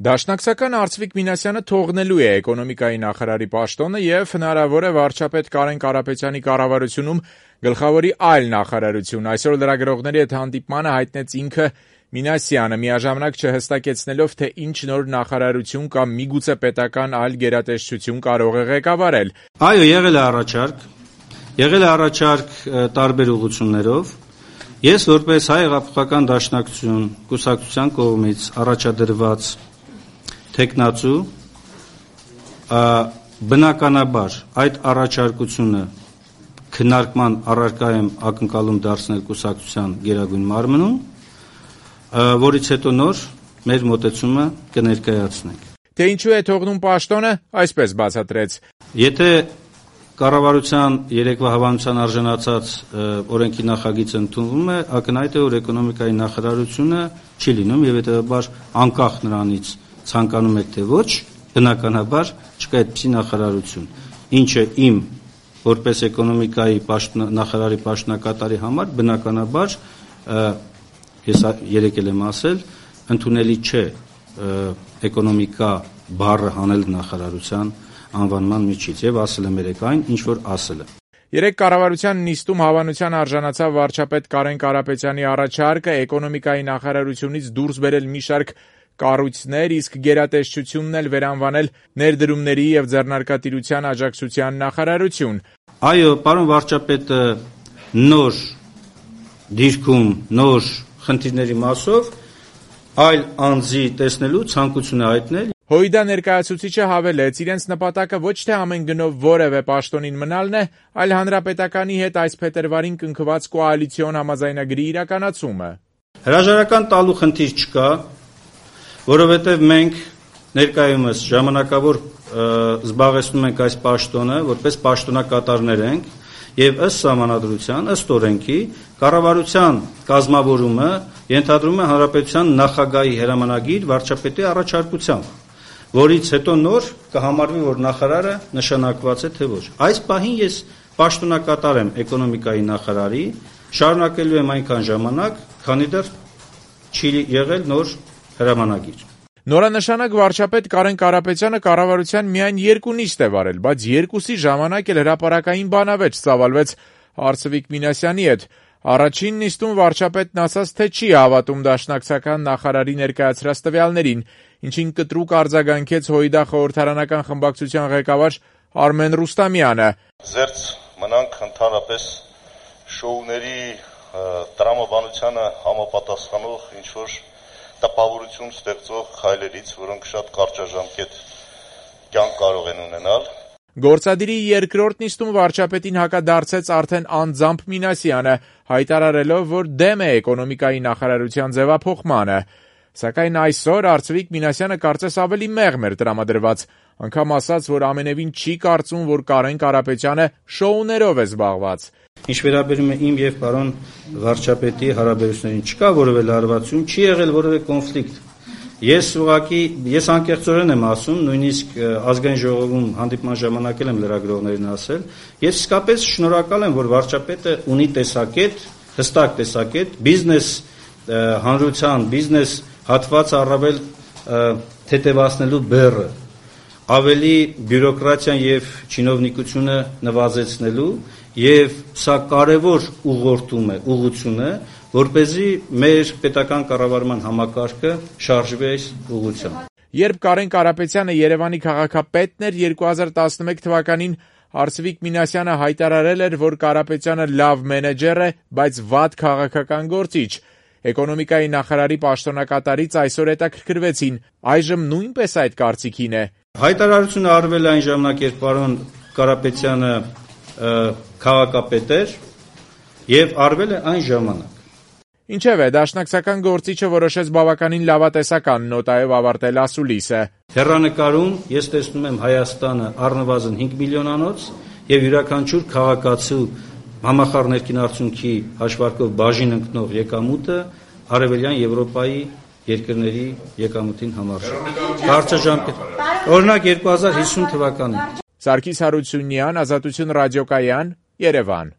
Դաշնակցական Արծվիկ Մինասյանը թողնելու է էկոնոմիկայի նախարարի պաշտոնը եւ հնարավոր է վարչապետ Կարեն Կարապետյանի կառավարությունում գլխավորի այլ նախարարություն։ Այսօր լրագրողների հետ հանդիպմանը հայտնեց ինքը Մինասյանը, միաժամանակ չհստակեցնելով, թե ինչ նոր նախարարություն կամ միգուցե պետական այլ գերատեսչություն կարող է ղեկավարել։ Այո, եղել է առաջարկ տարբեր ուղղություններով։ Ես որպես Հայ հեղափոխական դաշնակցություն կուսակցության կողմից առաջադրված թեկնածու բնականաբար այդ առաջարկությունը քննարկման առարկա եմ ակնկալում դարձնել կուսակցության գերագույն մարմնում, որից հետո նոր մեր մոտեցումը կներկայացնենք։ Թե ինչու է թողնում պաշտոնը, այսպես բացատրեց. Եթե կառավարության երեկվա հավանության արժանացած օրենքի նախագիծը ընդունվում է, ակնհայտ է, որ էկոնոմիկայի նախարարությունը չի լինում եւ հետեւաբար անկախ նրանից ցանկանում եք թե ոչ, բնականաբար չկա այդպիսի նախարարություն, ինչը իմ որպես էկոնոմիկայի նախարարի պաշտոնակատարի համար բնականաբար ես երեք եմ ասել, ընդունելի չէ էկոնոմիկա բառը հանել նախարարության անվանման միջից եւ ասել եմ երեք այն, ինչ որ ասել եմ։ Երեք կառավարության նիստում հավանության արժանացավ վարչապետ Կարեն Կարապետյանի առաջարկը էկոնոմիկայի նախարարությունից դուրս բերել մի շարք կառույցներ, իսկ գերատեսչությունն էլ վերանվանել ներդրումների եւ ձեռնարկատիրության աջակցության նախարարություն։ Այո, պարոն վարչապետը նոր դիրքում, նոր խնդիրների մասով այլ անձի տեսնելու ցանկություն է հայտնել։ ՀՅԴ ներկայացուցիչը հավելեց, իրենց նպատակը ոչ թե ամեն գնով որևէ պաշտոնին մնալն է, այլ հանրապետականի հետ այս փետրվարին կնքված կոալիցիոն համաձայնագրի իրականացումը։ Հրաժարական տալու խնդիր չկա, որովհետև մենք ներկայումս ժամանակավոր զբաղեցնում ենք այս պաշտոնը, որպես պաշտոնակատարներ ենք, եւ ըստ սահմանադրության, ըստ օրենքի, կառավարության կազմավորումը ենթադրում է հանրապետության նախագահի հրամանագիր վարչապետի առաջարկությամբ, որից հետո նոր կհամարվի, որ նախարարը նշանակված է թե ոչ։ Այս պահին ես պաշտոնակատար եմ էկոնոմիկայի նախարարի, շարունակելու եմ այնքան ժամանակ, քանի դեռ չի եղել նոր հրամանագիր։ Նորանշանակ վարչապետ Կարեն Կարապետյանը կառավարության միայն 2 նիստ է վարել, բայց 2-ի ժամանակ էլ հրապարակային բանավեճ ծավալվեց Արծվիկ Մինասյանի հետ։ Առաջին նիստում վարչապետն ասաց, թե չի հավատում դաշնակցական նախարարի ներկայացրած տվյալներին, ինչին կտրուկ արձագանքեց ՀՅԴ խորհրդարանական խմբակցության ղեկավար Արմեն Ռուստամյանը։ Զերծ մնանք ընդհանրապես շոուների տրամաբանությանը համապատասխանող ինչ-որ տպավորություն ստեղծող քայլերից, որոնք շատ կարճաժամկետ կյանք կարող են ունենալ։ Գործադիրի երկրորդ նիստում վարչապետին հակադարձեց արդեն անձամբ Մինասյանը, հայտարարելով, որ դեմ է էկոնոմիկայի նախարարության ձևափոխմանը։ Սակայն այսօր Արծվիկ Մինասյանը կարծես ավելի մեղմ էր տրամադրված, անգամ ասաց, որ ամենևին չի կարծում, որ Կարեն Կարապետյանը շոուներով է զբաղված։ Ինչ վերաբերում է իմ եւ պարոն վարչապետի հարաբերություններին, չկա որևէ լարվածություն, չի եղել որևէ կոնֆլիկտ։ Ես անկեղծորեն եմ ասում, նույնիսկ ազգային ժողովում հանդիպման ժամանակ եմ լրագրողներին ասել, ես իսկապես շնորհակալ եմ, որ վարչապետը ունի տեսակետ, հստակ տեսակետ, բիզնես հանրության, բիզնես հատված առավել թեթևացնելու բեռը, ավելի բյուրոկրատիան եւ չինովնիկությունը նվազեցնելու եւ սա կարեւոր ուղղություն է, որպեսզի մեր պետական կառավարման համակարգը շարժվի այս ուղղությամբ։ Երբ Կարեն Կարապետյանը Երևանի քաղաքապետն էր 2011 թվականին, Արծվիկ Մինասյանը հայտարարել էր, որ Կարապետյանը լավ մենեջեր է, բայց վատ քաղաքական գործիչ։ Էկոնոմիկայի նախարարի պաշտոնակատարից այսօր հետաքրքրվեցին, այժմ նույնպես այդ կարծիքին է։ Հայտարարությունը արվել է այն ժամանակ, երբ պարոն Կարապետյանը քաղաքապետ էր եւ արվել է այն ժամանակ։ Ինչևէ, դաշնակցական գործիչը որոշեց բավականին լավատեսական նոտայով ավարտել ասուլիսը։ Հեռանկարում ես տեսնում եմ Հայաստանը առնվազն 5 միլիոնանոց եւ յուրաքանչյուր քաղաքացու համախառն ներքին արդյունքի հաշվարկով բաժին ընկնող եկամուտը Արևելյան Եվրոպայի երկրների եկամուտին համարժեք։ Կարճաժամկետ։ Օրինակ 2050 թվականին։ Սարգիս Հարությունյան, Ազատություն ռադիոկայան, Երևան։